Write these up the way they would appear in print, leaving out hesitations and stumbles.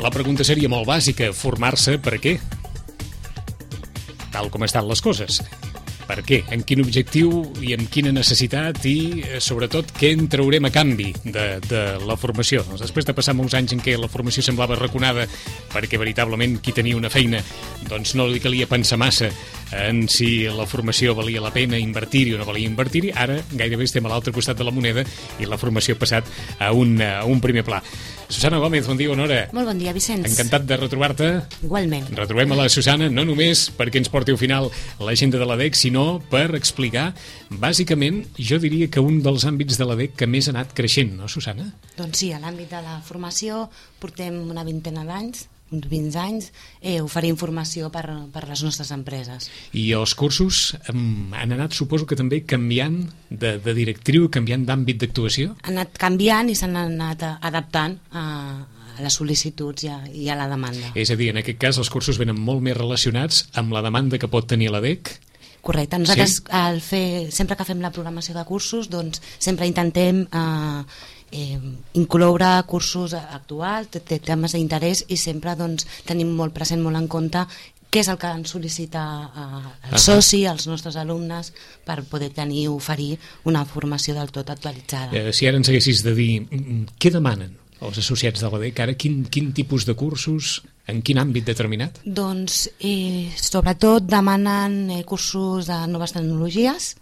La pregunta seria molt bàsica. Formar-se per què? Tal com estan les coses. Per què? En quin objectiu i amb quina necessitat i, sobretot, què en traurem a canvi de la formació? Doncs després de passar molts anys en què la formació semblava arraconada perquè veritablement qui tenia una feina doncs no li calia pensar massa en si la formació valia la pena invertir-hi o no valia invertir-hi, ara gairebé estem a l'altre costat de la moneda i la formació ha passat a un primer pla. Susana Gómez, bon dia, bona hora. Molt bon dia, Vicenç. Encantat de retrobar-te. Igualment. Retrobem a la Susana, no només perquè ens porti al final l'agenda de l'ADEC, sinó per explicar, bàsicament, jo diria que un dels àmbits de l'ADEC que més ha anat creixent, no, Susana? Doncs sí, a l'àmbit de la formació portem una vintena d'anys, uns 20 anys, oferir informació per les nostres empreses. I els cursos han anat, suposo que també, canviant de directriu, canviant d'àmbit d'actuació? Han anat canviant i s'han anat adaptant a les sol·licituds i a la demanda. És a dir, en aquest cas, els cursos venen molt més relacionats amb la demanda que pot tenir l'ADEC. Correcte. Nosaltres, sempre que fem la programació de cursos, doncs sempre intentem incloure cursos actuals, temes d'interès, i sempre doncs, tenim molt present, molt en compte què és el que ens sol·licita el soci, els nostres alumnes, per poder oferir una formació del tot actualitzada. Si ara ens haguessis de dir què demanen els associats de l'ADEC ara, quin tipus de cursos, en quin àmbit determinat? Doncs sobretot demanen cursos de noves tecnologies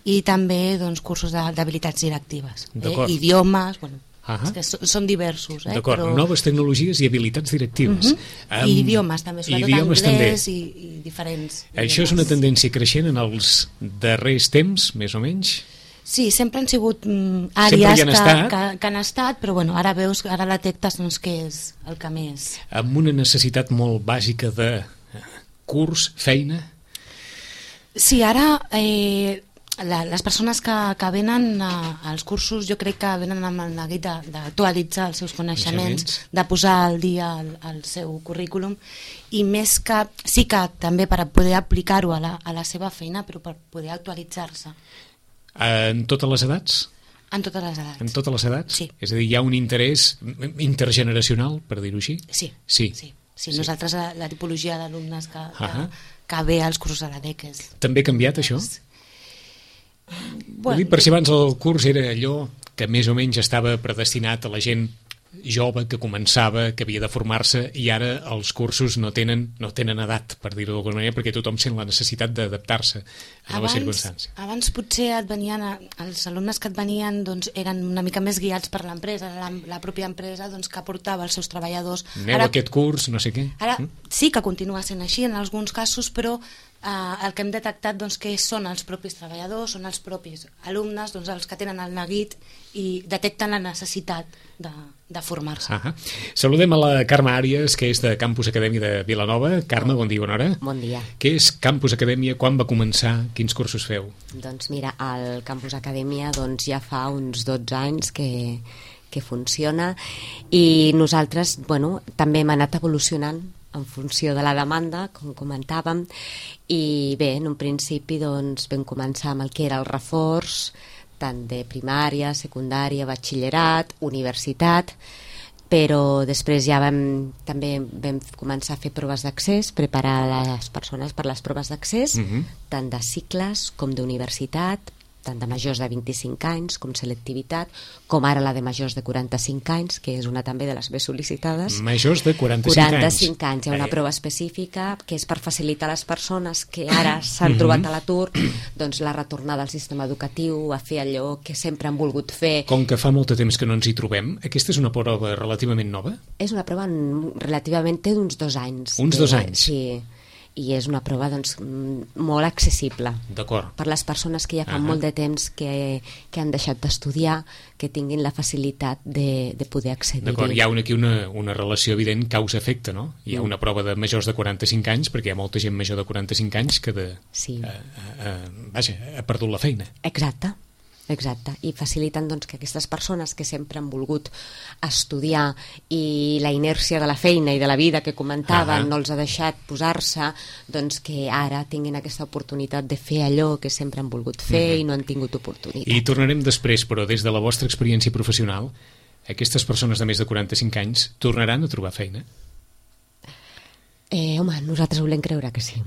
i també cursos d'habilitats directives, idiomes, és que són diversos. D'acord, però... noves tecnologies i habilitats directives. I idiomes també, sobretot anglès i diferents. Això és una tendència creixent en els darrers temps, més o menys? Sí, sempre han sigut àrees que han estat, però bueno, ara veus, ara detectes què és el que més... Amb una necessitat molt bàsica de curs, feina? Sí, ara les persones que venen als cursos, jo crec que venen amb el neguit d'actualitzar els seus coneixements, de posar al dia el seu currículum, i més que, sí que també per poder aplicar-ho a la seva feina, però per poder actualitzar-se. En totes les edats? En totes les edats. En totes les edats? Sí. És a dir, hi ha un interès intergeneracional, per dir-ho així? Sí. Nosaltres, la tipologia d'alumnes que ve als cursos de l'ADEC és... També ha canviat, això? Vull dir, per si abans el curs era allò que més o menys estava predestinat a la gent jove que començava, que havia de formar-se, i ara els cursos no tenen edat, per dir-ho d'alguna manera, perquè tothom sent la necessitat d'adaptar-se a noves circumstàncies. Abans potser els alumnes que et venien eren una mica més guiats per l'empresa, la pròpia empresa que portava els seus treballadors. Aneu a aquest curs, no sé què. Ara sí que continua sent així en alguns casos, però el que hem detectat que són els propis treballadors, són els propis alumnes els que tenen el neguit i detecten la necessitat de formar-se. Saludem a la Carme Àries, que és de Campus Acadèmia de Vilanova. Carme, bon dia, bona hora. Bon dia. Què és Campus Acadèmia? Quan va començar? Quins cursos feu? Doncs mira, el Campus Acadèmia ja fa uns 12 anys que funciona, i nosaltres també hem anat evolucionant en funció de la demanda, com comentàvem, i bé, en un principi vam començar amb el que era el reforç, tant de primària, secundària, batxillerat, universitat, però després ja també vam començar a fer proves d'accés, preparar les persones per les proves d'accés, tant de cicles com d'universitat, tant de majors de 25 anys com selectivitat, com ara la de majors de 45 anys, que és una també de les més sol·licitades. Majors de 45 anys. 45 anys. Hi ha una prova específica que és per facilitar a les persones que ara s'han trobat a l'atur la retornada al sistema educatiu, a fer allò que sempre han volgut fer. Com que fa molt de temps que no ens hi trobem, aquesta és una prova relativament nova? És una prova relativament, té d'uns 2 anys. Uns 2 anys? Sí. I és una prova molt accessible per les persones que ja fa molt de temps que han deixat d'estudiar, que tinguin la facilitat de poder accedir. D'acord, hi ha aquí una relació evident causa-efecte, no? Hi ha una prova de majors de 45 anys, perquè hi ha molta gent major de 45 anys que ha perdut la feina. Exacte, i faciliten que aquestes persones que sempre han volgut estudiar i la inèrcia de la feina i de la vida que comentaven no els ha deixat posar-se, que ara tinguin aquesta oportunitat de fer allò que sempre han volgut fer i no han tingut oportunitat. I tornarem després, però des de la vostra experiència professional, aquestes persones de més de 45 anys tornaran a trobar feina? Home, nosaltres volem creure que sí.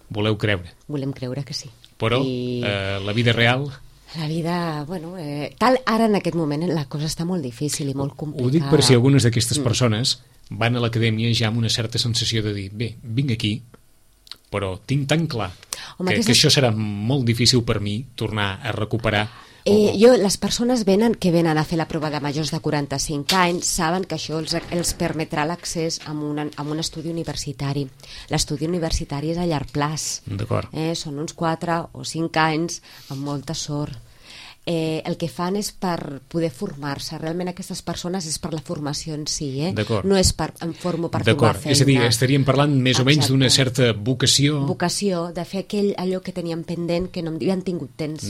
Voleu creure. Volem creure que sí. Però la vida real... La vida, bueno, tal ara en aquest moment la cosa està molt difícil i molt complicada. Ho dic per si algunes d'aquestes persones van a l'acadèmia ja amb una certa sensació de dir, bé, vinc aquí, però tinc tan clar que això serà molt difícil per mi tornar a recuperar. Les persones que venen a fer la prova de majors de 45 anys saben que això els permetrà l'accés a un estudi universitari. L'estudi universitari és a llarg plaç. D'acord. Són uns 4 o 5 anys amb molta sort. El que fan és per poder formar-se. Realment aquestes persones és per la formació en si, no és em formo per trobar feina. És a dir, estaríem parlant més o menys d'una certa vocació. Vocació, de fer allò que teníem pendent que no han tingut temps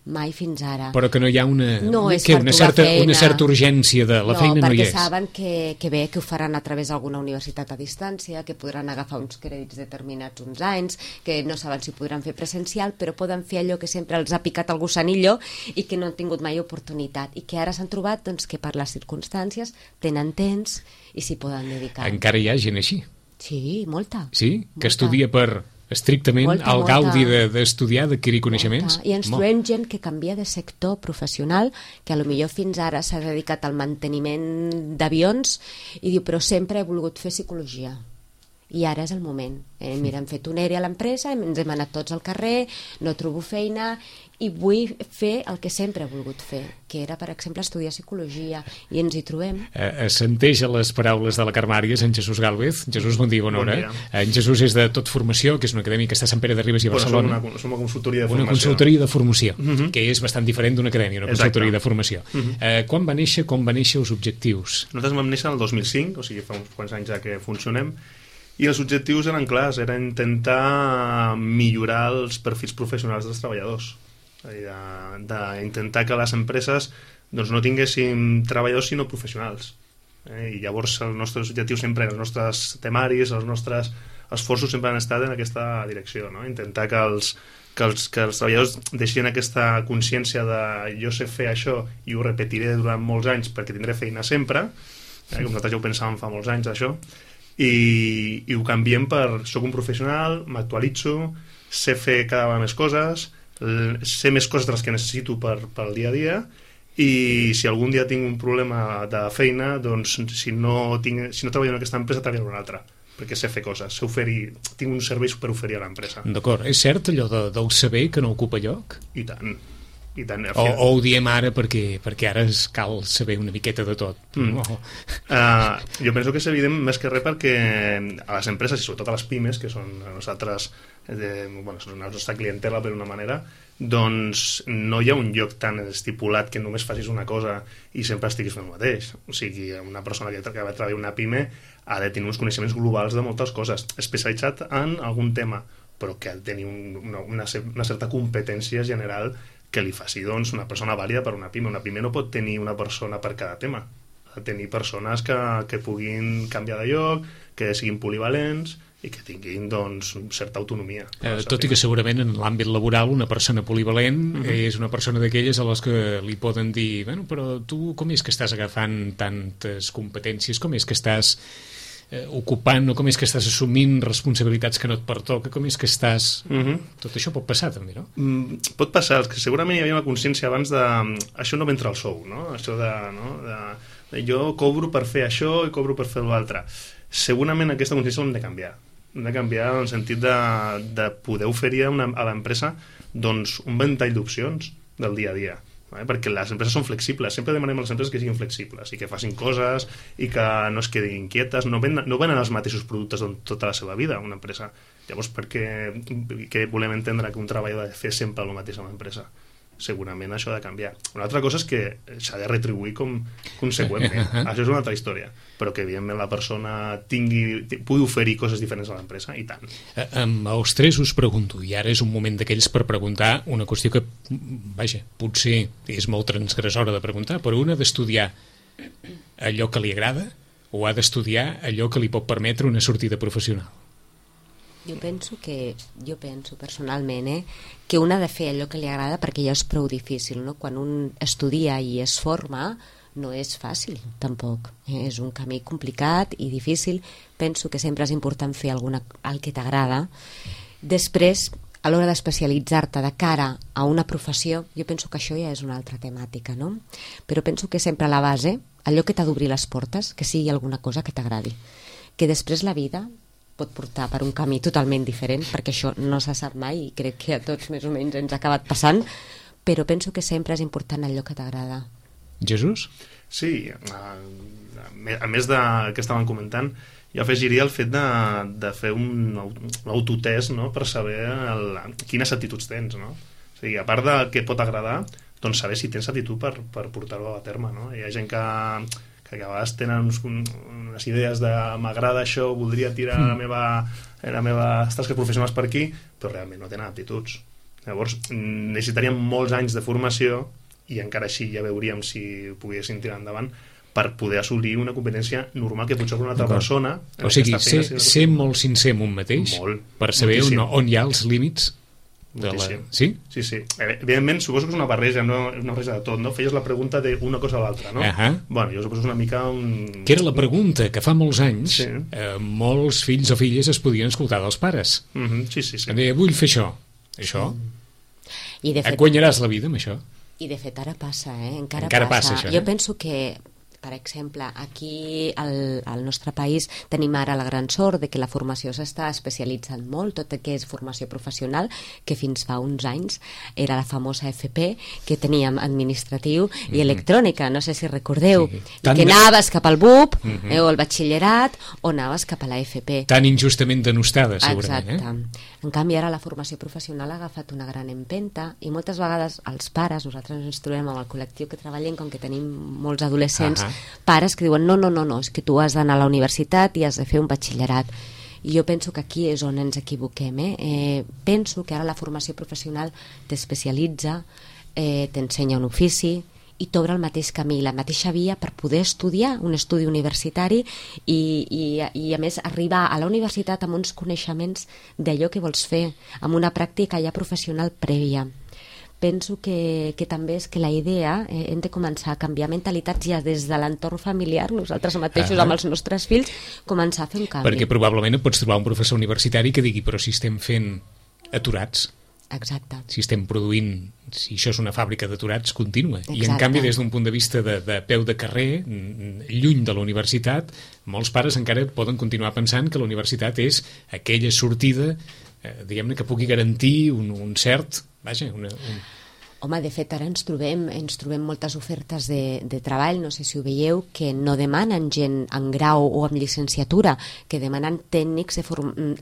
mai fins ara. Però que no hi ha una certa urgència de la feina no hi és. No, perquè saben que ho faran a través d'alguna universitat a distància, que podran agafar uns crèdits determinats uns anys, que no saben si podran fer presencial, però poden fer allò que sempre els ha picat el gusanillo i que no han tingut mai oportunitat i que ara s'han trobat que per les circumstàncies tenen temps i s'hi poden dedicar. Encara hi ha gent així? Sí, molta. Sí? Que estudia per estrictament el gaudi d'estudiar, d'adquirir coneixements? I ens trobem gent que canvia de sector professional, que a lo millor fins ara s'ha dedicat al manteniment d'avions i diu, però sempre he volgut fer psicologia. I ara és el moment. Mira, hem fet un ERE a l'empresa, ens hem anat tots al carrer, no trobo feina i vull fer el que sempre he volgut fer, que era, per exemple, estudiar psicologia, i ens hi trobem. Assenteix a les paraules de la Carmàries, en Jesús Gálvez. Jesús, bon dia, bona hora. En Jesús és de Tot Formació, que és una acadèmia que està a Sant Pere de Ribes i a Barcelona. Som una consultoria de formació. Una consultoria de formació, que és bastant diferent d'una acadèmia, una consultoria de formació. Quan va néixer els objectius? Nosaltres vam néixer el 2005, o sigui, fa uns quants anys ja que funcionem, i els objectius eren clars, era intentar millorar els perfils professionals dels treballadors, d'intentar que les empreses no tinguessin treballadors sinó professionals. I llavors els nostres objectius sempre, els nostres temaris, els nostres esforços sempre han estat en aquesta direcció, intentar que els treballadors deixin aquesta consciència de jo sé fer això i ho repetiré durant molts anys perquè tindré feina sempre, com nosaltres ja ho pensàvem fa molts anys això, i ho canviem per soc un professional, m'actualitzo, sé fer cada vegada més coses, sé més coses de les que necessito pel dia a dia, i si algun dia tinc un problema de feina, doncs si no treballo en aquesta empresa treballo en una altra, perquè sé fer coses, tinc un servei per oferir a l'empresa. D'acord, és cert allò del saber que no ocupa lloc? I tant. O ho diem ara perquè ara cal saber una miqueta de tot. Jo penso que és evident més que res perquè a les empreses i sobretot a les pimes, que són nosaltres, són la nostra clientela per una manera, doncs no hi ha un lloc tan estipulat que només facis una cosa i sempre estiguis fent el mateix. O sigui, una persona que va treballar una pime ha de tenir uns coneixements globals de moltes coses, especialitzat en algun tema, però que ha de tenir una certa competència general que li faci una persona vàlida per una pime. Una pime no pot tenir una persona per cada tema, ha de tenir persones que puguin canviar de lloc, que siguin polivalents i que tinguin certa autonomia. Tot i que segurament en l'àmbit laboral una persona polivalent és una persona d'aquelles a les que li poden dir però tu com és que estàs agafant tantes competències, com és que estàs ocupant o com és que estàs assumint responsabilitats que no et pertoca, com és que estàs... Tot això pot passar també, no? Pot passar, que segurament hi havia una consciència abans de... Això no m'entra al sou, no? Això de jo cobro per fer això i cobro per fer l'altre. Segurament aquesta consciència l'hem de canviar. Hem de canviar en el sentit de poder oferir a l'empresa un ventall d'opcions del dia a dia. Perquè les empreses són flexibles, sempre demanem a les empreses que siguin flexibles i que facin coses i que no es quedin inquietes, no venen els mateixos productes tota la seva vida una empresa. Llavors, què volem entendre que un treballador ha de fer sempre el mateix a l'empresa? Segurament això ha de canviar. Una altra cosa és que s'ha de retribuir conseqüentment. Això és una altra història, però que evidentment la persona pugui oferir coses diferents a l'empresa, i tant. Els tres us pregunto, i ara és un moment d'aquells per preguntar una qüestió que, potser és molt transgressora de preguntar, però un ha d'estudiar allò que li agrada o ha d'estudiar allò que li pot permetre una sortida professional? Jo penso personalment que un ha de fer allò que li agrada perquè ja és prou difícil, no? Quan un estudia i es forma no és fàcil, tampoc. És un camí complicat i difícil. Penso que sempre és important fer el que t'agrada. Després, a l'hora d'especialitzar-te de cara a una professió, jo penso que això ja és una altra temàtica, no? Però penso que sempre a la base, allò que t'ha d'obrir les portes, que sigui alguna cosa que t'agradi. Que després la vida pot portar per un camí totalment diferent, perquè això no se sap mai i crec que a tots més o menys ens ha acabat passant, però penso que sempre és important allò que t'agrada. Jesús? Sí, a més de que estaven comentant, jo afegiria el fet de fer un autotest, no?, per saber quines actituds tens, no? O sigui, a part del que pot agradar, doncs saber si tens actitud per portar-ho a terme, no? Hi ha gent que a vegades tenen unes idees de m'agrada això, voldria tirar les meves tasques professionals per aquí, però realment no tenen aptituds. Llavors necessitaríem molts anys de formació i encara així ja veuríem si poguessin tirar endavant per poder assolir una competència normal que potser per una altra persona. O sigui, ser molt sincer amb un mateix per saber on hi ha els límits. Sí? Sí. Evidentment, suposo que és una barreja, una barreja de tot, no? Feies la pregunta d'una cosa a l'altra, no? Bueno, jo suposo una mica que era la pregunta que fa molts anys molts fills o filles es podien escoltar dels pares. Sí. Vull fer això. I de fet, et guanyaràs la vida amb això? I de fet ara passa, encara passa això, Jo penso que, per exemple, aquí al nostre país tenim ara la gran sort de que la formació s'està especialitzant molt, tot el que és formació professional, que fins fa uns anys era la famosa FP, que teníem administratiu i electrònica, no sé si recordeu, i que anaves cap al BUP o al batxillerat o anaves cap a la FP. Tan injustament denostada, segurament. Exacte. En canvi, ara la formació professional ha agafat una gran empenta i moltes vegades els pares, nosaltres ens trobem amb el col·lectiu que treballem, com que tenim molts adolescents, pares que diuen no, és que tu has d'anar a la universitat i has de fer un batxillerat. I jo penso que aquí és on ens equivoquem. Penso que ara la formació professional t'especialitza, t'ensenya un ofici i t'obre el mateix camí, la mateixa via per poder estudiar un estudi universitari i a més arribar a la universitat amb uns coneixements d'allò que vols fer, amb una pràctica ja professional prèvia. Penso que també és que la idea hem de començar a canviar mentalitats ja des de l'entorn familiar, nosaltres mateixos amb els nostres fills, començar a fer un canvi. Perquè probablement et pots trobar un professor universitari que digui però si estem fent aturats, exacte, si estem produint, si això és una fàbrica d'aturats contínua. I en canvi des d'un punt de vista de peu de carrer, lluny de la universitat, molts pares encara poden continuar pensant que la universitat és aquella sortida diguem-ne que pugui garantir un cert... Home, de fet, ara ens trobem moltes ofertes de treball, no sé si ho veieu, que no demanen gent en grau o en llicenciatura, que demanen tècnics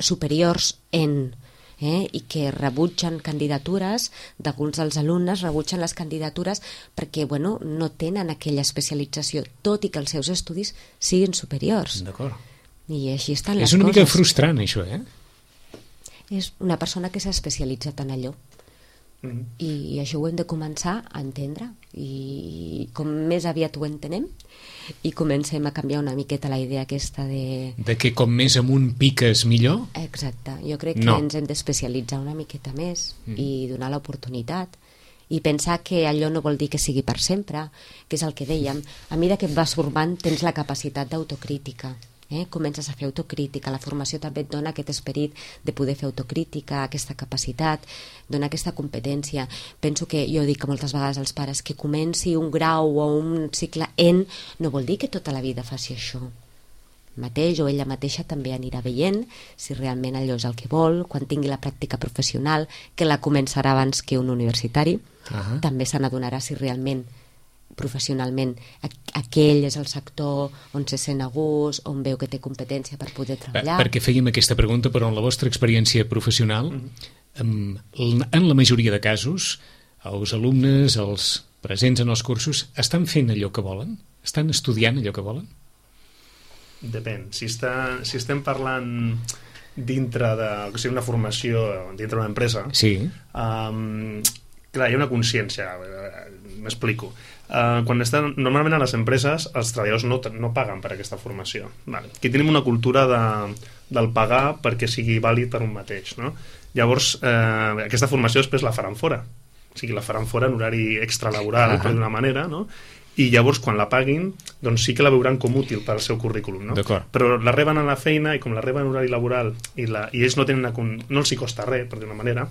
superiors i que rebutgen candidatures, d'alguns dels alumnes rebutgen les candidatures perquè no tenen aquella especialització, tot i que els seus estudis siguin superiors. D'acord. I així estan les coses. És una mica frustrant, això, És una persona que s'ha especialitzat en allò. I això ho hem de començar a entendre, i com més aviat ho entenem i comencem a canviar una miqueta la idea aquesta de que com més amunt piques millor. Exacte, jo crec que ens hem d'especialitzar una miqueta més i donar l'oportunitat i pensar que allò no vol dir que sigui per sempre, que és el que dèiem, a mesura que et vas formant tens la capacitat d'autocrítica. Comences a fer autocrítica, la formació també et dona aquest esperit de poder fer autocrítica, aquesta capacitat, dona aquesta competència. Penso que jo dic moltes vegades als pares que comenci un grau o un cicle no vol dir que tota la vida faci això mateix, o ella mateixa també anirà veient si realment allò és el que vol, quan tingui la pràctica professional, que la començarà abans que un universitari, també se n'adonarà si realment professionalment aquell és el sector on se sent a gust, on veu que té competència per poder treballar. Perquè fèiem aquesta pregunta, però en la vostra experiència professional, en la majoria de casos, els alumnes, els presents en els cursos, estan fent allò que volen? Estan estudiant allò que volen? Depèn. Si estem parlant dintre una formació, dintre d'una empresa, clar, hi ha una consciència, m'explico. Normalment a les empreses els treballadors no paguen per aquesta formació. Aquí tenim una cultura del pagar perquè sigui vàlid per un mateix, no? Llavors aquesta formació després la faran fora, o sigui, la faran fora en horari extralaboral, per d'una manera, no? i llavors quan la paguin doncs sí que la veuran com útil per al seu currículum, no? Però la reben a la feina i com la reben en horari laboral i ells no els hi costa res, per dir-ho d'una manera,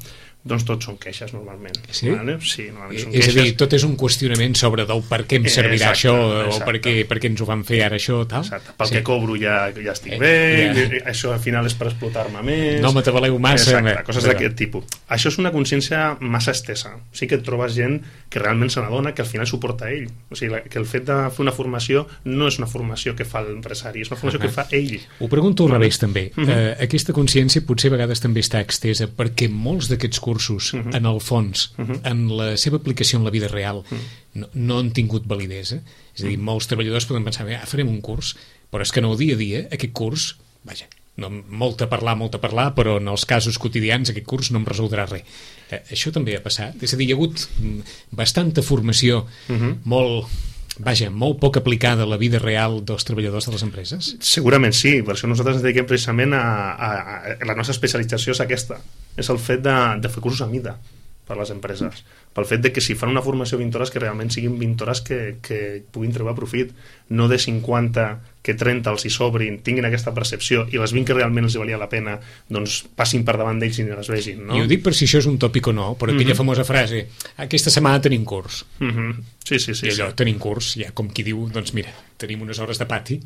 doncs tots són queixes normalment. Sí? Vale? Sí, normalment són és queixes. a dir, tot és un qüestionament sobre del per què em servirà això o per què ens ho van fer ara això, tal? Exacte. Pel que cobro ja estic bé, això al final és per explotar-me més. No m'atabaleu massa. Exacte, coses d'aquest tipus. Això és una consciència massa estesa. Sí que et trobes gent que realment se n'adona que al final suporta ell. O sigui, que el fet de fer una formació no és una formació que fa l'empresari, és una formació que fa ell. Ho pregunto al revés també. Aquesta consciència potser a vegades també està extesa perquè molts d'aquests cursos en el fons, en la seva aplicació en la vida real, no han tingut validesa. És a dir, molts treballadors poden pensar, farem un curs, però és que en el dia a dia aquest curs, vaja, no, molt a parlar, però en els casos quotidians aquest curs no em resoldrà res. Això també ha passat. És a dir, hi ha hagut bastanta formació molt poc aplicada a la vida real dels treballadors de les empreses? Segurament sí, per això nosaltres ens dediquem precisament la nostra especialització és aquesta, és el fet de fer cursos a mida per les empreses, pel fet de que si fan una formació 20 hores que realment siguin 20 hores que puguin treure profit, no de 50 que 30 els hi sobrin, tinguin aquesta percepció i les 20 que realment els valia la pena doncs passin per davant d'ells i les vegin, no? I ho dic per si això és un tòpic o no, però aquella famosa frase, aquesta setmana tenim curs. Sí. I allò, tenim curs, ja com qui diu, doncs mira, tenim unes hores de pati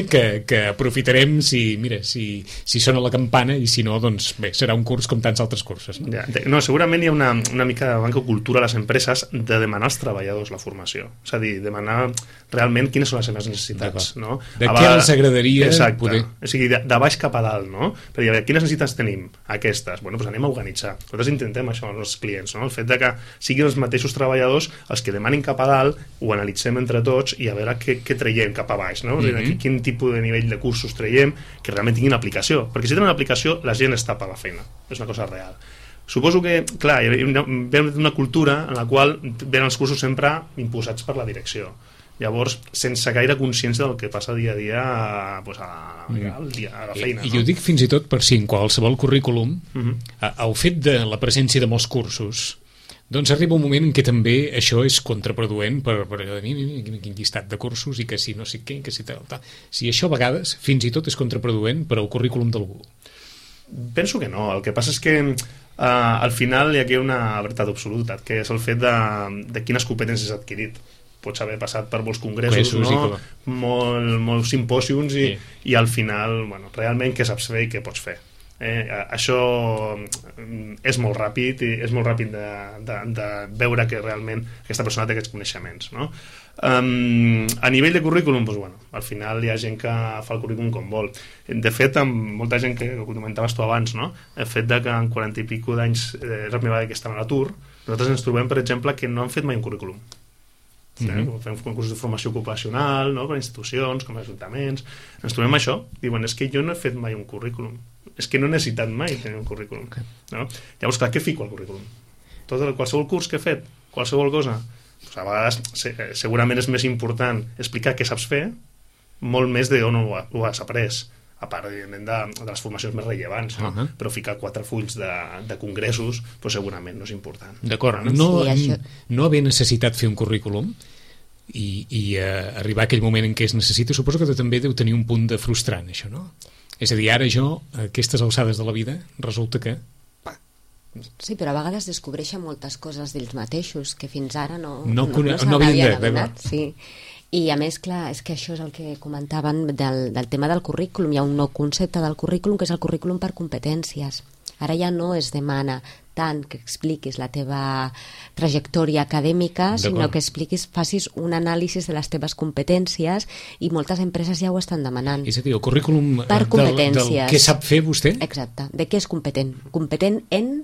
que aprofitarem si sona la campana i si no, doncs bé, serà un curs com tants altres cursos. No, no segurament hi ha una mica de manca de cultura a les empreses de demanar als treballadors la formació, és a dir, demanar realment quines són les seves necessitats, no? De què els agradaria poder... O sigui, de baix cap a dalt, no? Per dir, quines necessitats tenim? Aquestes. Bueno, doncs anem a organitzar. Nosaltres intentem això amb els clients, no? El fet de que siguin els mateixos treballadors els que demanin cap a dalt, ho analitzem entre tots i a veure què traiem cap a baix, no? Quin tipus de nivell de cursos traiem que realment tinguin aplicació. Perquè si tenen aplicació, la gent està per la feina. És una cosa real. Suposo que, clar, hi ha una cultura en la qual venen els cursos sempre imposats per la direcció. Llavors, sense gaire consciència del que passa dia a dia a la feina. I ho dic fins i tot per si en qualsevol currículum el fet de la presència de molts cursos doncs arriba un moment en què també això és contraproduent per allò de quin llistat de cursos i que si no sé què, que si tal. Si això a vegades fins i tot és contraproduent per al currículum d'algú. Penso que no. El que passa és que al final hi ha una veritat absoluta, que és el fet de quines competències has adquirit. Pots haver passat per molts congressos, no? Molts simpòsiums i al final, bueno, realment què saps fer i què pots fer. Això és molt ràpid i és molt ràpid de veure que realment aquesta persona té aquests coneixements, no? A nivell de currículum, doncs, bueno, al final hi ha gent que fa el currículum com vol. De fet, amb molta gent que ho comentaves tu abans, no? El fet de que en 40 i pico d'anys és la primera vegada que estan a l'atur, nosaltres ens trobem, per exemple, que no han fet mai un currículum. Fem concursos de formació ocupacional, no? Per institucions, com ajuntaments, ens trobem això, diuen, és que jo no he fet mai un currículum, és que no he necessitat mai tenir un currículum, no? Llavors, clar, què fico al currículum? Qualsevol curs que he fet, qualsevol cosa, doncs a vegades segurament és més important explicar què saps fer, molt més d'on ho has après, a part de les formacions més rellevants, no? Però ficar 4 fulls de congressos doncs segurament no és important. D'acord, no haver necessitat fer un currículum i arribar a aquell moment en què es necessita, suposo que també deu tenir un punt de frustrant, això, no? És a dir, ara jo, a aquestes alçades de la vida, resulta que... Sí, però a vegades descobreixen moltes coses d'ells mateixos que fins ara no havien adonat. Sí. I a més, clar, és que això és el que comentaven del tema del currículum. Hi ha un nou concepte del currículum que és el currículum per competències. Ara ja no es demana tant que expliquis la teva trajectòria acadèmica, sinó que facis un anàlisi de les teves competències i moltes empreses ja ho estan demanant. És a dir, el currículum per competències. Del què sap fer vostè? Exacte. De què és competent? Competent en...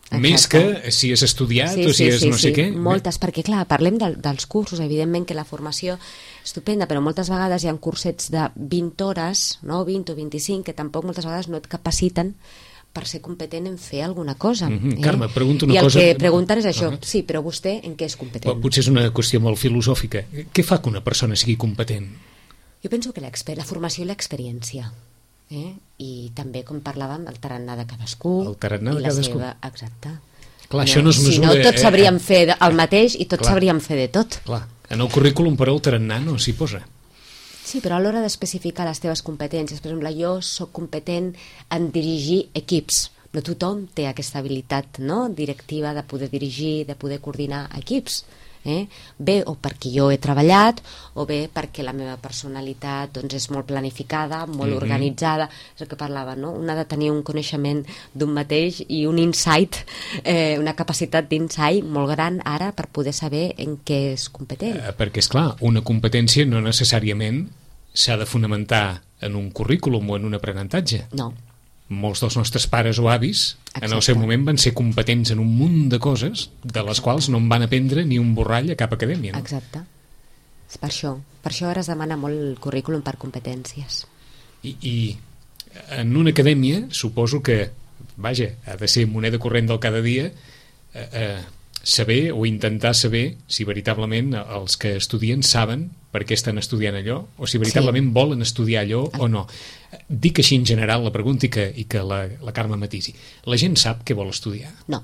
Exacte. Més que si has estudiat o si és no sé què. Moltes, perquè clar, parlem dels cursos, evidentment que la formació estupenda, però moltes vegades hi ha cursets de 20 hores, no? 20 o 25, que tampoc moltes vegades no et capaciten per ser competent en fer alguna cosa. Carme, pregunto una cosa... I el que pregunten és això, sí, però vostè en què és competent? Potser és una qüestió molt filosòfica. Què fa que una persona sigui competent? Jo penso que la formació i l'experiència. I també, com parlàvem, el tarannà de cadascú i la seva... Exacte. Clar, això no es mesura... Si no, tots sabríem fer el mateix i tots sabríem fer de tot. Clar. En el currículum, però, el tarannà no s'hi posa. Sí, però a l'hora d'especificar les teves competències, per exemple, jo sóc competent en dirigir equips. No tothom té aquesta habilitat, no?, directiva de poder dirigir, de poder coordinar equips. Bé o perquè jo he treballat, o bé perquè la meva personalitat doncs, és molt planificada, molt organitzada. És el que parlava, no? Un ha de tenir un coneixement d'un mateix i un insight, una capacitat d'insight molt gran ara per poder saber en què és competent. Perquè, és clar, una competència no necessàriament s'ha de fonamentar en un currículum o en un aprenentatge. No. Molts dels nostres pares o avis en el seu moment van ser competents en un munt de coses de les quals no en van aprendre ni un borrall a cap acadèmia, no? Exacte. És per això ara es demana molt el currículum per competències. I en una acadèmia suposo que, vaja, ha de ser moneda corrent del cada dia saber o intentar saber si veritablement els que estudien saben per què estan estudiant allò, o si veritablement volen estudiar allò o no. Dic així en general la pregunta i que la Carme matisi. La gent sap què vol estudiar? No.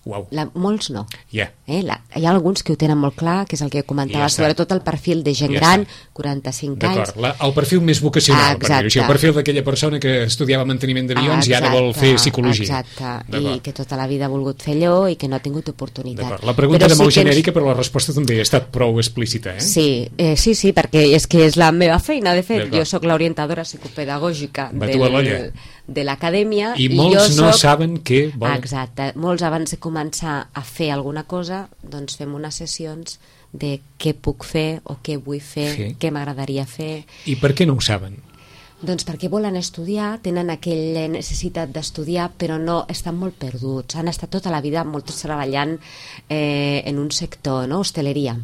Uau. Molts no. Yeah. Hi ha alguns que ho tenen molt clar, que és el que comentava, sobretot el perfil de gent gran, 45 anys. D'acord, el perfil més vocacional, per dir-ho així, el perfil d'aquella persona que estudiava manteniment d'avions i ara vol fer psicologia. Exacte, i que tota la vida ha volgut fer allò i que no ha tingut oportunitat. D'acord, la pregunta era molt genèrica, però la resposta també ha estat prou explícita, Sí, perquè és que és la meva feina, de fet. Jo sóc l'orientadora psicopedagògica de l'acadèmia i molts no saben què volen. Exacte, molts abans de començar a fer alguna cosa doncs fem unes sessions de què puc fer o què vull fer, què m'agradaria fer. I per què no ho saben? Doncs perquè volen estudiar, tenen aquella necessitat d'estudiar, però no, estan molt perduts, han estat tota la vida molts treballant en un sector, no? Hostaleria.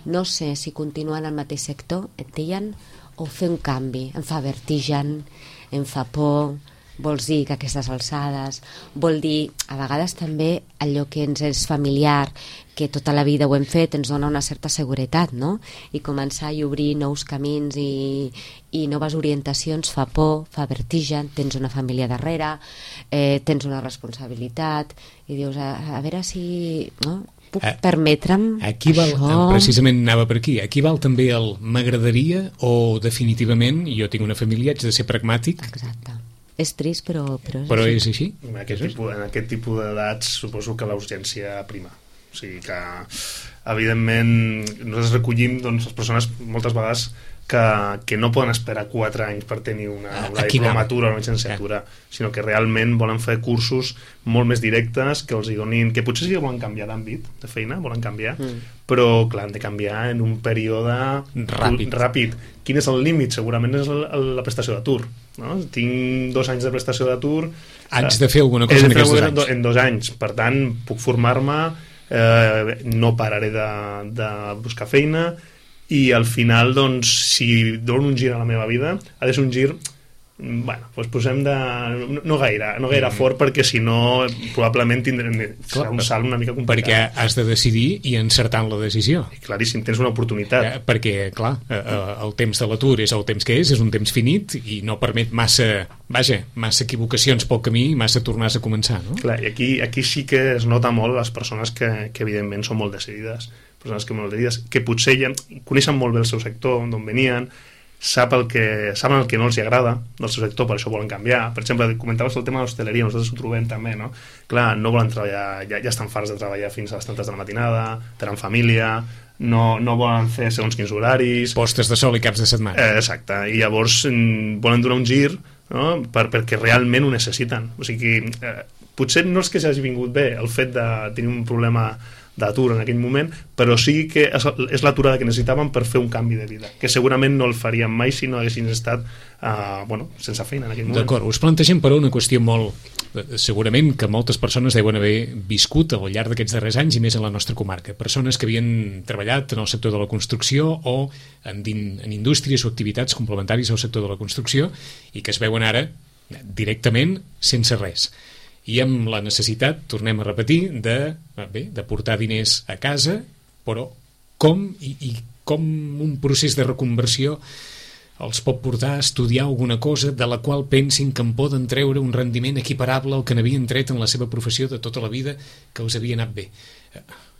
No sé si continuar en el mateix sector, et deien, o fer un canvi. Em fa vertigen, em fa por, vols dir que aquestes alçades, vol dir a vegades també allò que ens és familiar, que tota la vida ho hem fet, ens dona una certa seguretat, no? I començar i obrir nous camins i noves orientacions fa por, fa vertigen, tens una família darrere, tens una responsabilitat i dius, a veure si puc permetre'm aquí val, això. Precisament anava per aquí, aquí val també el m'agradaria o definitivament jo tinc una família, haig de ser pragmàtic. Exacte. És trist, però és així. En aquest tipus d'edats suposo que la urgència prima. O sigui que, evidentment, nosaltres recollim les persones moltes vegades que no poden esperar 4 anys per tenir una diplomatura o una llicenciatura, sinó que realment volen fer cursos molt més directes que els hi donin, que potser sí que volen canviar d'àmbit de feina, volen canviar, però clar, han de canviar en un període ràpid. Quin és el límit? Segurament és la prestació d'atur, no? Tinc 2 anys de prestació d'atur, haig de fer alguna cosa en aquests 2 anys. En 2 anys, per tant puc formar-me, no pararé de buscar feina, i al final, doncs, si dono un gir a la meva vida, ha de ser un gir, bueno, doncs posem de... no gaire fort, perquè si no probablement serà un salt una mica complicat. Perquè has de decidir i encertar en la decisió. I claríssim, tens una oportunitat. Perquè, clar, el temps de l'atur és el temps que és un temps finit i no permet massa equivocacions pel camí i massa tornars a començar, no? Clar, i aquí sí que es nota molt les persones que evidentment són molt decidides, que potser ja coneixen molt bé el seu sector, d'on venien, saben el que no els agrada del seu sector, per això volen canviar. Per exemple, comentaves el tema de l'hostaleria, nosaltres ho trobem també, no? Clar, no volen treballar, ja estan farts de treballar fins a les tantes de la matinada, tenen família, no volen fer segons quins horaris, postes de sol i caps de setmana. Exacte, i llavors volen donar un gir, no? perquè realment ho necessiten. O sigui, potser no és que s'hagi vingut bé el fet de tenir un problema d'atur en aquell moment, però sí que és l'aturada que necessitaven per fer un canvi de vida, que segurament no el farien mai si no haguessin estat sense feina en aquell moment. D'acord, us plantegem però una qüestió segurament que moltes persones deuen haver viscut al llarg d'aquests darrers anys i més a la nostra comarca, persones que havien treballat en el sector de la construcció o en indústries o activitats complementàries al sector de la construcció i que es veuen ara directament sense res. I amb la necessitat, tornem a repetir, de portar diners a casa, però com un procés de reconversió els pot portar a estudiar alguna cosa de la qual pensin que en poden treure un rendiment equiparable al que n'havien tret en la seva professió de tota la vida, que els havia anat bé.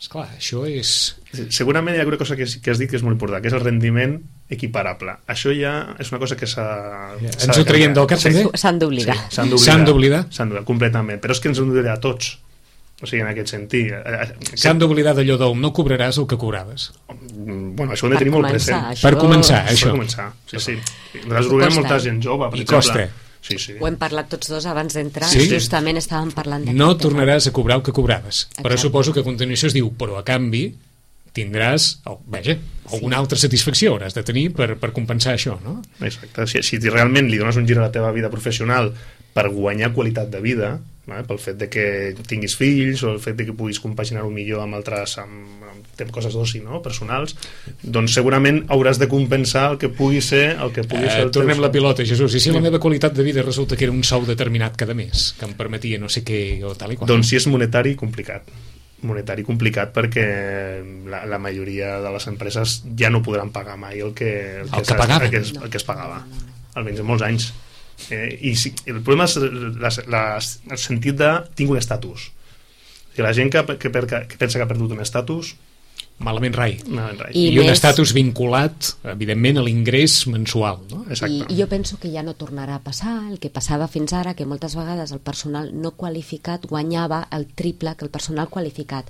Esclar, això és... Segurament hi ha una cosa que has dit que és molt important, que és el rendiment equiparable. Això ja és una cosa que ens ho traiem del cap, també? S'han d'oblidar. Sí, s'han d'oblidar? S'han d'oblidar, completament. Però és que ens hem d'oblidar a tots. O sigui, en aquest sentit. S'han d'oblidar d'allò del no cobraràs el que cobraves. Bueno, això ho hem de tenir molt present. Per començar, això. Per començar, sí. Nosaltres trobem molta gent jove, per exemple. I costa. Sí. Ho hem parlat tots dos abans d'entrar, sí? Justament estàvem parlant d'aquest no tornaràs a cobrar el que cobraves. Exacte. Però suposo que a continuació es diu, però a canvi tindràs, alguna altra satisfacció hauràs de tenir per compensar això, no? Exacte, si realment li dones un gir a la teva vida professional per guanyar qualitat de vida, pel fet de que tinguis fills o el fet de que puguis compaginar-ho millor amb altres coses d'oci, no? Personals, doncs segurament hauràs de compensar el que pugui ser el tornem la pilota, Jesús, i si la meva qualitat de vida resulta que era un sou determinat cada mes que em permetia no sé què o tal i qual, doncs si és monetari, complicat perquè la majoria de les empreses ja no podran pagar mai el que es pagava, almenys en molts anys. I el problema és el sentit de tinc un estatus. La gent que pensa que ha perdut un estatus, malament rai. I un estatus vinculat, evidentment, a l'ingrés mensual, no? I jo penso que ja no tornarà a passar el que passava fins ara, que moltes vegades el personal no qualificat guanyava el triple que el personal qualificat.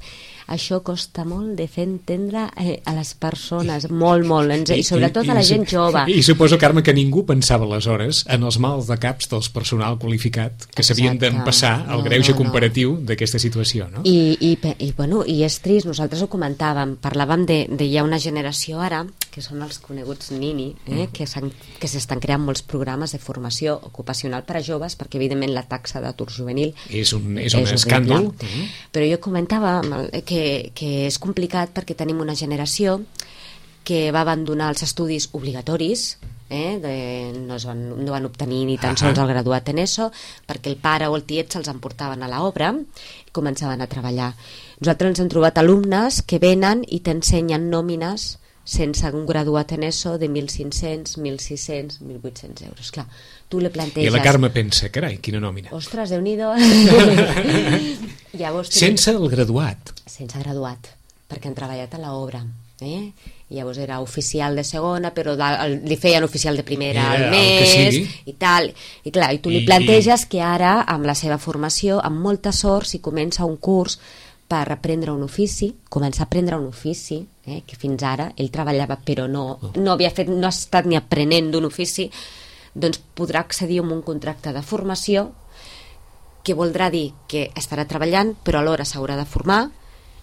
Això costa molt de fer entendre a les persones, molt, i sobretot a la gent jove. I suposo, Carme, que ningú pensava aleshores en els mals de caps dels personal qualificat que s'havien d'empassar el greuge comparatiu d'aquesta situació, no? I és trist, nosaltres ho comentàvem, parlàvem de hi ha una generació ara, que són els coneguts Nini, que s'estan creant molts programes de formació ocupacional per a joves, perquè evidentment la taxa d'atur juvenil és un escàndol. Però jo comentava que és complicat perquè tenim una generació que va abandonar els estudis obligatoris, no van obtenir ni tan sols el graduat en ESO, perquè el pare o el tiet se'ls emportaven a l'obra i començaven a treballar. Nosaltres ens hem trobat alumnes que venen i t'ensenyen nòmines sense un graduat en ESO de 1.500, 1.600, 1.800 euros. Clar, tu li planteges... I la Carme pensa, carai, quina nòmina. Ostres, Déu-n'hi-do. Sense el graduat. Sense graduat, perquè han treballat a l'obra. Llavors era oficial de segona, però li feien oficial de primera al mes i tal. I clar, i tu li planteges que ara, amb la seva formació, amb molta sort, si comença un curs per aprendre un ofici, començar a aprendre un ofici, que fins ara ell treballava però no ha estat ni aprenent d'un ofici, doncs podrà accedir a un contracte de formació que voldrà dir que estarà treballant però alhora s'haurà de formar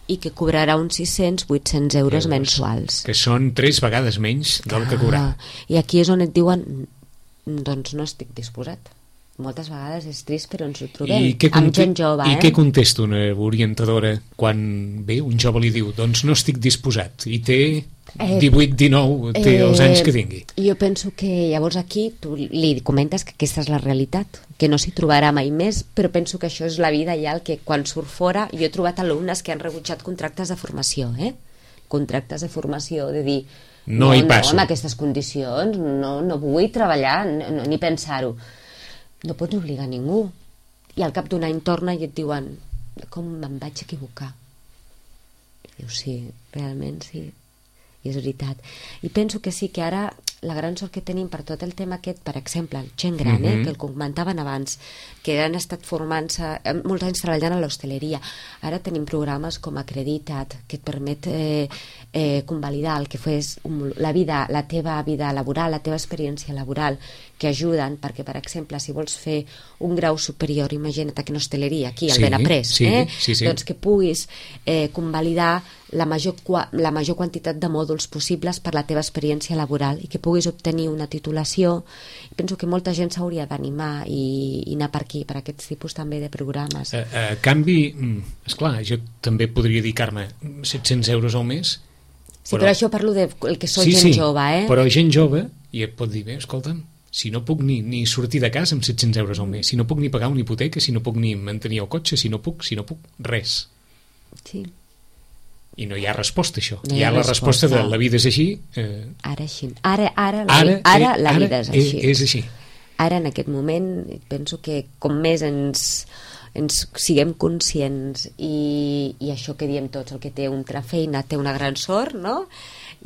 i que cobrarà uns 600-800 euros mensuals. Que són 3 vegades menys del que cobrarà. I aquí és on et diuen doncs no estic disposat. Moltes vegades és trist, però ens ho trobem amb gent jove. I què contesta una orientadora quan ve un jove li diu doncs no estic disposat i té 18-19, té els anys que tingui? Jo penso que llavors aquí tu li comentes que aquesta és la realitat, que no s'hi trobarà mai més, però penso que això és la vida ja, el que quan surt fora, jo he trobat alumnes que han rebutjat contractes de formació, contractes de formació, de dir no hi passo. En aquestes condicions no vull treballar, ni pensar-ho. No pots obligar ningú. I al cap d'un any torna i et diuen com me'n vaig equivocar. I dius, sí, realment sí. I és veritat. I penso que sí, que ara la gran sort que tenim per tot el tema aquest, per exemple, gent gran, que el comentaven abans, que han estat formant-se molts anys treballant a l'hostaleria. Ara tenim programes com Acreditat, que et permet convalidar el que fes la teva vida laboral, la teva experiència laboral, que ajuden, perquè, per exemple, si vols fer un grau superior, imagina't que en hostaleria, aquí, al Benaprés, doncs que puguis convalidar la major quantitat de mòduls possibles per la teva experiència laboral i que puguis obtenir una titulació. Penso que molta gent s'hauria d'animar i anar per aquí, per aquests tipus també de programes. A canvi, esclar, jo també podria dir, Carme, 700 euros al mes. Sí, però això parlo del que soc gent jove, però gent jove, i et pot dir, bé, escolta'm, si no puc ni sortir de casa amb 700 euros al mes, si no puc ni pagar una hipoteca, si no puc ni mantenir el cotxe, si no puc, res. Sí. I no hi ha resposta, això. No hi ha la resposta de la vida és així. Ara així. Ara la vida és així. És així. Ara, en aquest moment, penso que com més ens siguem conscients i això que diem tots, el que té una altra feina té una gran sort, no?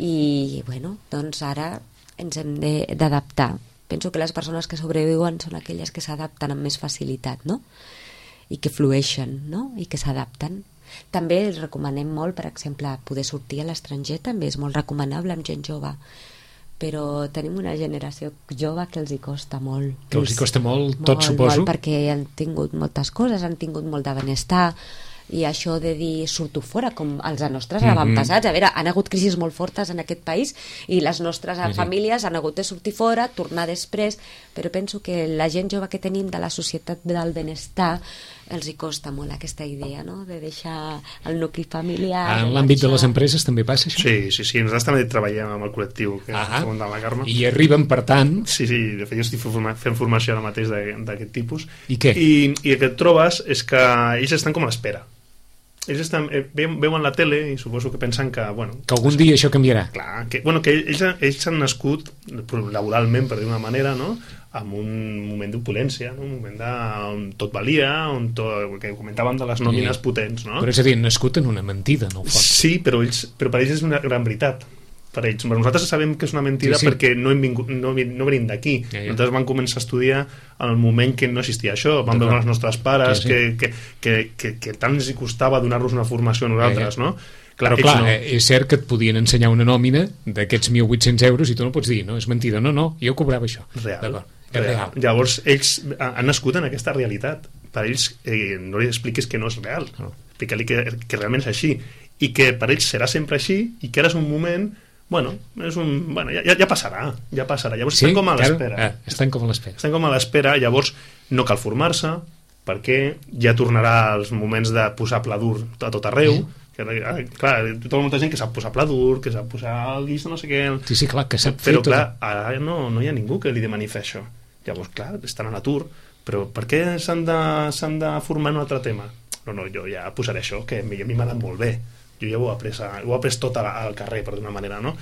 I, bueno, doncs ara ens hem d'adaptar. Penso que les persones que sobreviuen són aquelles que s'adapten amb més facilitat, no? I que flueixen, no? I que s'adapten. També els recomanem molt, per exemple, poder sortir a l'estranger també és molt recomanable amb gent jove, però tenim una generació jove que els hi costa molt. Que els hi costa molt, tot suposo. Molt, perquè han tingut moltes coses, han tingut molt de benestar, i això de dir surto fora, com els nostres avantpassats, a veure, han hagut crisis molt fortes en aquest país i les nostres famílies han hagut de sortir fora, tornar després, però penso que la gent jove que tenim de la societat del benestar els hi costa molt aquesta idea, no?, de deixar el nucli familiar. En l'àmbit de les empreses també passa això? Sí, nosaltres també treballem amb el col·lectiu que comentava la Carme. I arriben, per tant... Sí, de fet jo estic fent formació ara mateix d'aquest tipus. I què? I el que et trobes és que ells estan com a l'espera. Ells veuen la tele i suposo que pensen que... Que algun dia això canviarà. Clar, que ells han nascut laboralment, per dir d'una manera, no?, en un moment d'opulència, no? Un moment on tot valia, que comentàvem de les nòmines potents, no? Però és a dir, han nascut en una mentida, no ho fons. Sí, però per ells és una gran veritat. Per ells. Nosaltres sabem que és una mentida perquè no venim d'aquí. Nosaltres vam començar a estudiar en el moment que no existia això. Vam veure els nostres pares que tant els hi costava donar-los una formació a nosaltres, no? Però clar, és cert que et podien ensenyar una nòmina d'aquests 1.800 euros i tu no pots dir, no, és mentida, no, jo cobrava això. Real. Llavors ells han nascut en aquesta realitat. Per ells no li expliquis que no és real, explica-li que realment és així i que per ells serà sempre així i que ara és un moment, ja passarà. Llavors estan com a l'espera. Estan com a l'espera. Llavors no cal formar-se perquè ja tornarà als moments de posar pla dur a tot arreu. Clar, tota molta gent que sap posar pla dur, que sap posar el guix de no sé què. Sí, clar, que sap fer tot. Però clar, ara no hi ha ningú que li demani fer això. Llavors, clar, estan a l'atur, però per què s'han de formar en un altre tema? No, jo ja posaré això, que a mi m'ha anat molt bé. Jo ja ho he après tot al carrer, per d'una manera, no?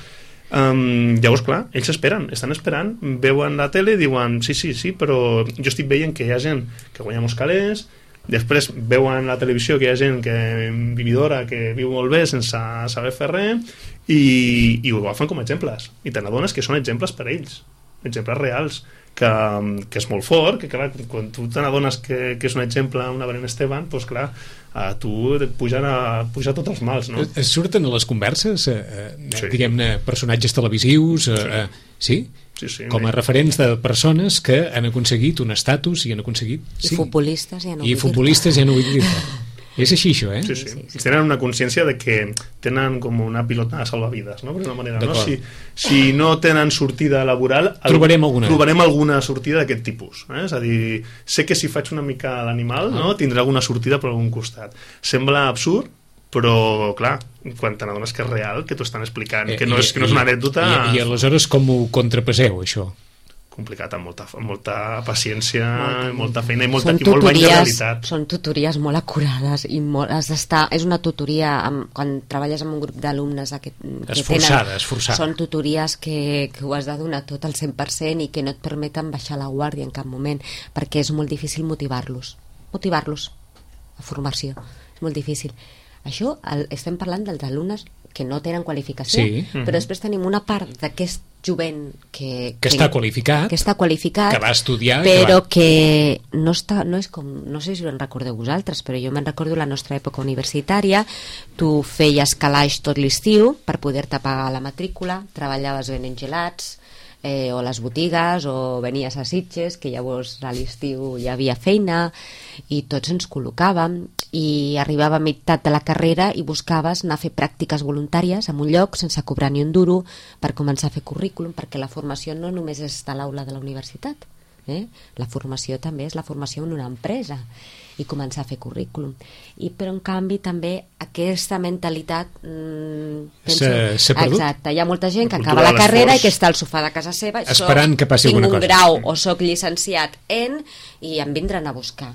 Llavors, clar, ells estan esperant, veuen la tele i diuen sí, però jo estic veient que hi ha gent que guanya molts calés, després veuen la televisió que hi ha gent vividora que viu molt bé sense saber fer res i ho agafen com a exemples i te n'adones que són exemples per a ells, exemples reals, que és molt fort, que clar, quan tu te n'adones que és un exemple, una Belén Esteban, doncs clar, a tu et puja tots els mals, no? Surten a les converses diguem-ne personatges televisius sí? Sí, com a referents de persones que han aconseguit un estatus i han aconseguit... I futbolistes ja no vull dir-te. És així, això, eh? Sí. Tenen una consciència de que tenen com una pilota de salvavides, no? Per una manera, no? Si no tenen sortida laboral... Trobarem alguna sortida d'aquest tipus. És a dir, sé que si faig una mica l'animal, no? Tindrà alguna sortida per algun costat. Sembla absurd, però, clar, quan te n'adones que és real, que t'ho estan explicant, que no és una anècdota... I aleshores com ho contrapeseu, això? Complicat, amb molta paciència, molta feina i molt bany de realitat. Són tutories molt acurades i has d'estar... És una tutoria, quan treballes amb un grup d'alumnes esforçades. Són tutories que ho has de donar tot al 100% i que no et permeten baixar la guàrdia en cap moment, perquè és molt difícil motivar-los a formació, és molt difícil. Això estem parlant dels alumnes que no tenen qualificació, però després tenim una part d'aquest jovent que està qualificat, que va estudiar, però que no és com, no sé si ho en recordeu vosaltres, però jo me'n recordo la nostra època universitària. Tu feies calaix tot l'estiu per poder-te pagar la matrícula, treballaves venent gelats o les botigues, o venies a Sitges, que llavors a l'estiu hi havia feina i tots ens col·locàvem, i arribava a meitat de la carrera i buscaves anar a fer pràctiques voluntàries en un lloc sense cobrar ni un duro per començar a fer currículum, perquè la formació no només és a l'aula de la universitat, la formació també és la formació en una empresa i començar a fer currículum. Però en canvi també aquesta mentalitat s'ha perdut. Exacte, hi ha molta gent que acaba la carrera i que està al sofà de casa seva esperant que passi alguna cosa. Tinc un grau o soc llicenciat i em vindran a buscar.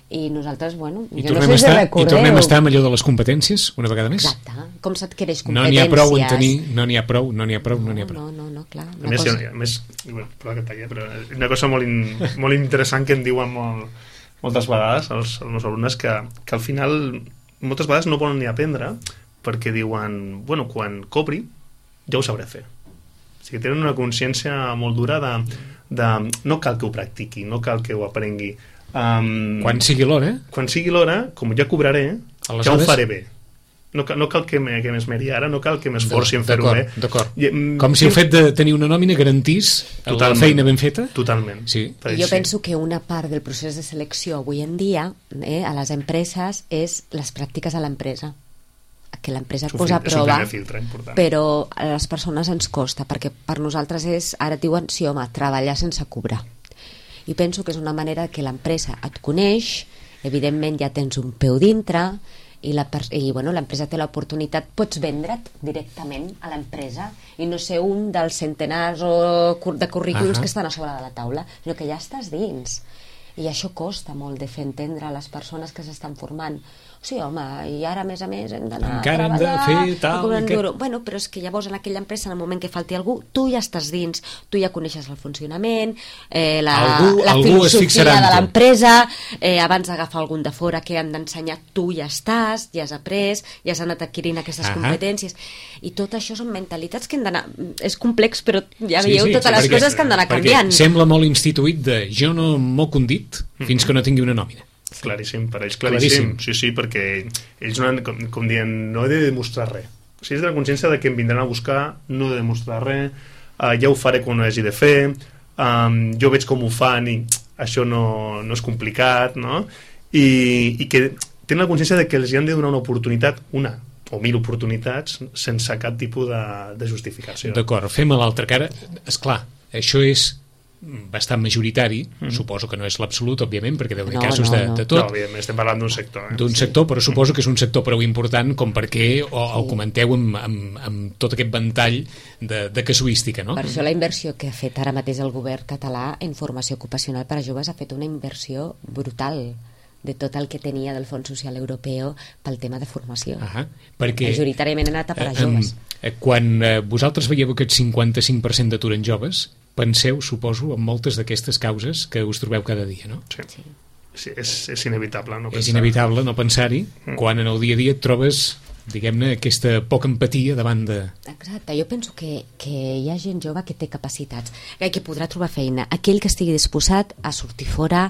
I nosaltres, bueno, I jo no sé si recordeu. I tornem a estar amb allò de les competències, una vegada més. Exacte, com s'adquireix competències. No n'hi ha prou en tenir, no n'hi ha prou. No, clar. A més, bueno, perdó que et talli, però una cosa molt interessant que em diuen moltes vegades els meus alumnes, que al final moltes vegades no volen ni aprendre perquè diuen, bueno, quan cobri ja ho sabré fer. O sigui, tenen una consciència molt dura de no cal que ho practiqui, no cal que ho aprengui. Quan sigui l'hora, Quan sigui l'hora, com ja cobraré, aleshores, ja ho faré bé. No cal que m'esmeri ara, no cal que m'esforci en fer-ho bé. D'acord. Com si el fet de tenir una nòmina garantís la feina ben feta? Totalment. Sí. Jo penso que una part del procés de selecció avui en dia a les empreses és les pràctiques a l'empresa. Que l'empresa et posa a prova, però a les persones ens costa, perquè per nosaltres ara et diuen, sí home, treballar sense cobrar. I penso que és una manera que l'empresa et coneix, evidentment ja tens un peu dintre, i l'empresa té l'oportunitat, pots vendre't directament a l'empresa i no ser un dels centenars de currículums que estan a sobre de la taula, sinó que ja estàs dins. I això costa molt de fer entendre a les persones que s'estan formant. Sí, home, i ara a més hem d'anar a treballar, hem de fer tal... Bueno, però és que llavors en aquella empresa, en el moment que falti algú, tu ja estàs dins, tu ja coneixes el funcionament, la filosofia de l'empresa, abans d'agafar algun de fora que han d'ensenyar, tu ja estàs, ja has après, ja has anat adquirint aquestes competències, i tot això són mentalitats que han d'anar... És complex, però ja veieu totes les coses que han d'anar canviant. Sembla molt instituït de jo no moc un dit fins que no tingui una nòmina. Claríssim, per ells claríssim. Sí, perquè ells no han, com dient, no he de demostrar res. O sigui, és de la consciència de que em vindran a buscar, no he de demostrar res, ja ho faré quan ho hagi de fer, jo veig com ho fan i això no és complicat, no? I que tenen la consciència de que els han de donar una oportunitat, una o 1000 oportunitats, sense cap tipus de justificació. D'acord, fem a l'altra cara. Esclar, això és bastant majoritari, suposo que no és l'absolut, òbviament, perquè deu haver casos de tot. No, òbviament, estem parlant d'un sector. D'un sector, però suposo que és un sector prou important com perquè ho comenteu amb tot aquest ventall de casuística, no? Per això la inversió que ha fet ara mateix el govern català en formació ocupacional per a joves ha fet una inversió brutal de tot el que tenia del Fons Social Europeu pel tema de formació. Perquè majoritàriament ha anat a per a joves. Quan vosaltres veieu aquest 55% d'atur en joves, penseu, suposo, en moltes d'aquestes causes que us trobeu cada dia, no? Sí, és inevitable no pensar. És inevitable no pensar-hi quan en el dia a dia et trobes, diguem-ne, aquesta poca empatia davant de... Exacte, jo penso que hi ha gent jove que té capacitats, que podrà trobar feina. Aquell que estigui disposat a sortir fora,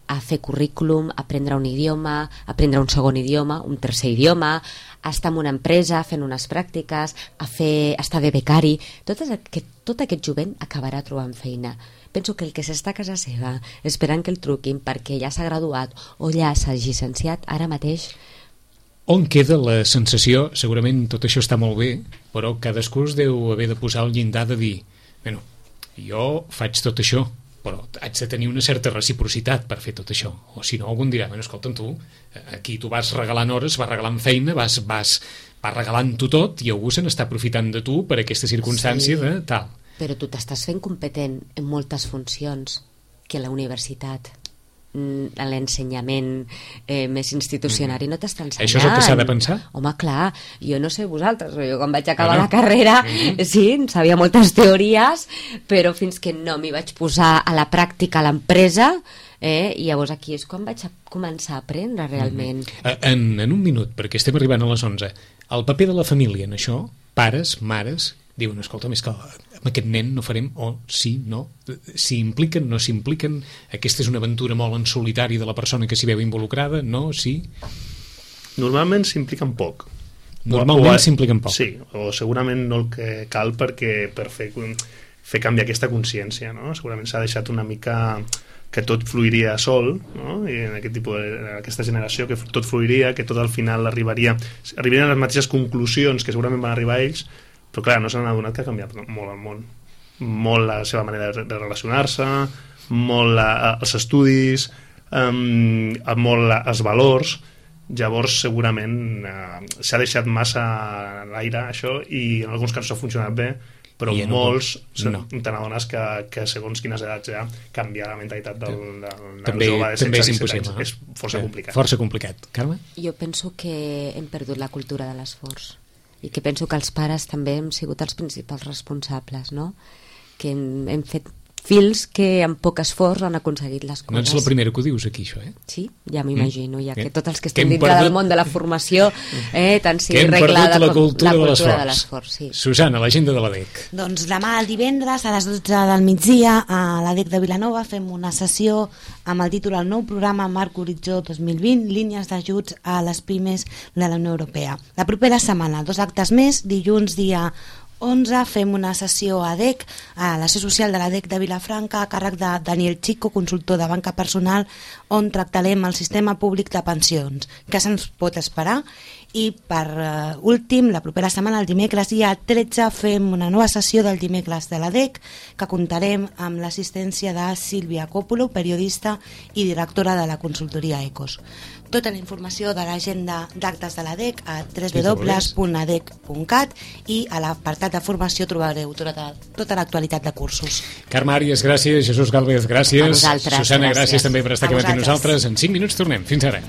a fer currículum, a aprendre un idioma, a aprendre un segon idioma, un tercer idioma, a estar en una empresa fent unes pràctiques, a estar de becari. Tot aquest jovent acabarà trobant feina. Penso que el que s'està a casa seva esperant que el truquin perquè ja s'ha graduat o ja s'ha llicenciat, ara mateix... On queda la sensació, segurament tot això està molt bé, però cadascú es deu haver de posar el llindar de dir, bueno, jo faig tot això, però haig de tenir una certa reciprocitat per fer tot això, o si no algun dirà, bueno, escolta'm tu, aquí tu vas regalant hores, vas regalant feina, vas regalant-ho tot i algú se n'està aprofitant de tu per aquesta circumstància de tal. Però tu t'estàs fent competent en moltes funcions que la universitat, l'ensenyament més institucional no t'està ensenyant. Això és el que s'ha de pensar? Home, clar, jo no sé vosaltres, jo quan vaig acabar la carrera sí, sabia moltes teories, però fins que no m'hi vaig posar a la pràctica a l'empresa, i llavors aquí és quan vaig començar a aprendre realment. En un minut, perquè estem arribant a les 11, el paper de la família en això, pares, mares, diuen, escolta, més que amb aquest nen no farem, o sí, no, s'hi impliquen, no s'hi impliquen, aquesta és una aventura molt en solitari de la persona que s'hi veu involucrada, no, sí? Normalment s'impliquen poc. Normalment s'impliquen poc. Sí, o segurament no el que cal per fer canviar aquesta consciència, no? Segurament s'ha deixat una mica que tot fluiria sol, no? I en aquesta generació que tot fluiria, que tot al final arribarien a les mateixes conclusions que segurament van arribar ells, però clar, no s'han adonat que ha canviat molt el món, molt la seva manera de relacionar-se, molt els estudis, molt els valors. Llavors segurament s'ha deixat massa a l'aire això, i en alguns casos ha funcionat bé però I molts no. te n'adones que segons quines edats ja canviar la mentalitat del també, jove de 16 també és 17 impossible, anys és força complicat. Força complicat. Carme? Jo penso que hem perdut la cultura de l'esforç i que penso que els pares també hem sigut els principals responsables, no? Que hem fet fills que amb poc esforç han aconseguit les coses. No ets la primera que ho dius aquí, això, Sí, ja m'imagino, ja que tots els que que estem hem dintre perdut... del món de la formació tant sigui que hem reglada perdut la cultura com de de l'esforç. Sí. Susana, l'agenda de l'ADEC. Doncs demà el divendres a les 12 del migdia a l'ADEC de Vilanova fem una sessió amb el títol El nou programa Marc Horitzó 2020, línies d'ajuts a les pimes de la Unió Europea. La propera setmana, 2 actes més, dilluns dia 11 fem una sessió a ADEC, a la sessió social de l'ADEC de Vilafranca, a càrrec de Daniel Chico, consultor de banca personal, on tractarem el sistema públic de pensions. Què se'ns pot esperar? I per últim, la propera setmana, el dimecres dia 13, fem una nova sessió del dimecres de l'ADEC, que comptarem amb l'assistència de Sílvia Còpolo, periodista i directora de la consultoria ECOS. Tota la informació de l'agenda d'actes de l'ADEC a www.adec.cat i a l'apartat de formació trobareu tota l'actualitat de cursos. Carme Àries, gràcies. Jesús Gálvez, gràcies. A vosaltres, Susana, gràcies també per estar aquí amb nosaltres. En 5 minuts tornem. Fins ara.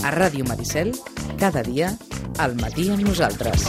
A Ràdio Maricel, cada dia, al matí amb nosaltres.